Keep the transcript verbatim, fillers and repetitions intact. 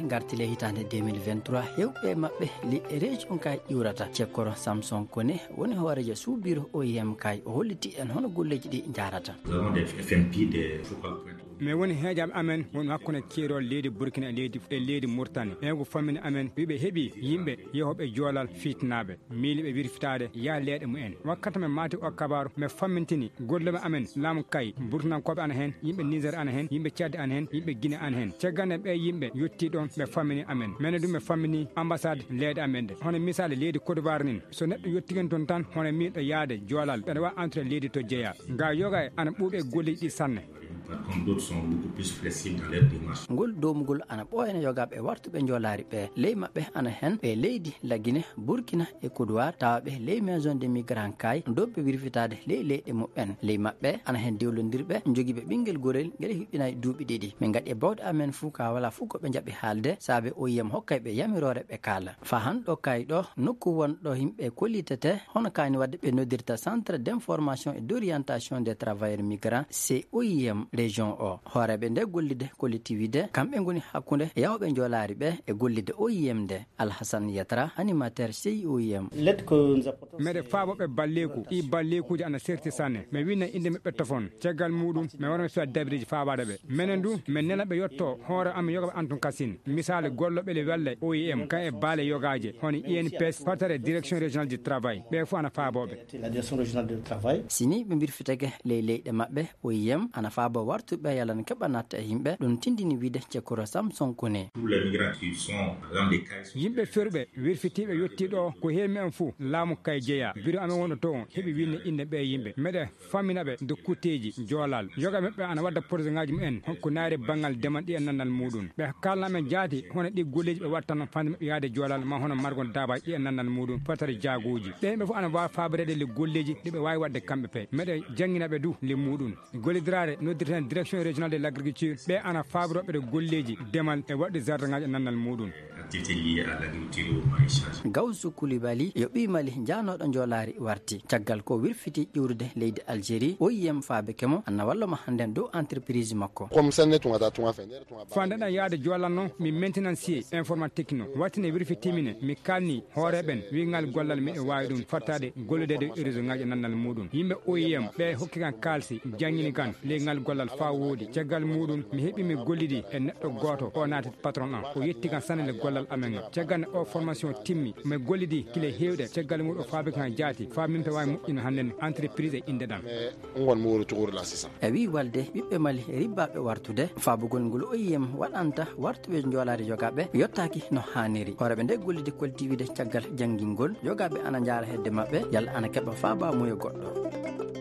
Ngarti le hitaande deux mille vingt-trois, heewɓe maɓɓe li e région kay ƴuurata. Cekkoro Samson Kone woni hooreejo suubiiro O I M kay, o holliti en hono golleeji ɗi njaarata. Nous avons des F M P, des focal points. Mais woni heejaaɓe amen woni hakkunde keerol leydi Burkina e leydi, e leydi Mauritanie. Ɓe ko famini amen, ɓe heɓi yimɓe yehooɓe joolal fitinaaɓe. Miili ɓe wirfitaade yaa leeɗe mumen. Wakkati men maati o kabaaru, men fammintini gollooɓe amen laamu kay, Burtinankooɓe ana heen, yimɓe Niger ana heen, yimɓe Tchad ana heen, yimɓe Guinée ana heen. Caggal nde ɓee yimɓe yottii ɗoon, ɓe fammini amen. Menen du, men fammini ambassade leydi amen nde. Hono misaali leydi Côte d'Ivoire nin, so neɗɗo yottii heen toon tan, hono miiɗo yaade joolal, ɓeɗa waawi antude leydi to jeyaa. Ga yoga e ana ɓuuɓi e golleeji ɗi sanne. Par contre, d'autres sont beaucoup plus flexibles dans leur démarche. Ngol doomugol ana ɓooyana yogaaɓe wartuɓe njoolaari ɓe. Ley maɓɓe ana heen ɓe leydi Lagine, Burkina e Côte d'Ivoire, tawa ɓe ley maison de migrant kay, doɓɓe wirfitaade ley leyɗe muɓɓen. Ley maɓɓe ana heen dewlondirɓe, jogiiɓe ɓinngel gorel ngel hiɓɓinaay duuɓi ɗiɗi. Min ngaɗi e bawɗe amen fuu ka wala fuu ko ɓe njaɓi haalde, saabe O I M hokkay ɓe yamiroore ɓe kaala. Fa han ɗo kay ɗo, nokku won ɗo yimɓe kollitete, hono kaani wadde ɓe noddirta Centre d'information et d'orientation des travailleurs migrants, C O I M, région o. Hooreeɓe nde gollidde kollitiwide, kamɓe ngoni hakkunde yawɓe njoolaari ɓe e gollidde O I M nde. Alhassane Yatra, animateur C O I M. Lettre que nous apportons, meɗe c'est faabo ɓe balleeku, ɗi balleekuuji ana serti sanne. Mi winna innde maɓɓe tofon. Caggal muuɗum, mi wara mi suwa dabiriji faabaade ɓe. Menen du, men nena ɓe yotto hoore amen yoga ɓe Anton Kasin. Misaali gollooɓe le welle O I M, kan e baale yogaaje, hono I N P S, fatare Direction Régionale du Travail. Ɓe fof ana faabooɓe. La Direction Régionale du Travail. Si ni ɓe mbirfitake ley leyɗe maɓɓe, O I M ana faabo wartuɓe yalan keɓa natta e yimɓe, ɗum tindini wiide Cekoro Samson Kone. Tous les migrants qui sont dans des cas, yimɓe ferɓe, wirfitiiɓe yottii ɗo, ko heewi en fof, laamu kay jeyaa. Biro amen wonɗo to on, heɓi winnde innde ɓe yimɓe. Meɗe fammina ɓe nde kutteeji joolal. Yoga maɓɓe ana wadda projet ŋaaji mumen, ko naari banngal demal ɗi e nannal muuɗum. Ɓe kaalna men jaati, hono ɗi golleeji ɓe wattano fande maɓɓe yaade joolal, ma hono margon daabaaji ɗi e nannal muuɗum, fatare jaaguuji. Ɓe ɓe fof ana waawi faaboreede le golleeji ɗi ɓe waawi waɗde kamɓe pe. Meɗe janngina ɓe du le muuɗum. Gollidiraare noddirten Direction Régionale de l'Agriculture, ɓe ana faaborooɓe ɗo golleeji demal e waɗde jardin ŋaaji e nannal muuɗum. Activités liées à l'agriculture ou maraîchage. Gawsu Koulibaly yo ɓii Mali jaanooɗo njoolaari warti. Caggal ko wirfiti ƴuurude leydi Algérie, O I M faabike mo, ana walla mo hannden dow entreprise makko. Comme ça, ne tunga ta tunga fe, ne tunga ba. Fande ɗan yaade joolal non, mi maintenancier informatique no. Wattine wirfitimine, mi kalni hooreeɓen, wi'ngal gollal miɗo waawi ɗum fattaade gollideede réseau ŋaaji e nannal muuɗum. Yimɓe O I M ɓe hokki kan kaalsi, janngini kan ley ngal gollal faa woodi. Caggal muuɗum, mi heɓi mi gollidi e neɗɗo gooto, o naati patron am. O yetti kan sanne le gollal amen ngal. Caggal nde o formation timmi, mi gollidi kile heewɗe. Caggal muuɗum o faabi kan jaati, faa min pe waawi moƴƴino hannden entreprise e innde ɗan. Ngon mo wuro to wuro la sisa. E wii walde ɓiɓɓe Mali ribbaaɓe wartude, faabugol ngol O I M waɗanta wartuɓe njoolaari yogaaɓe yottaaki no haaniri. Hooreeɓe nde gollide koltiwide caggal janngingol, yogaaɓe ana njaara hedde maɓɓe, yalla ana keɓa faabaamuya goɗɗo.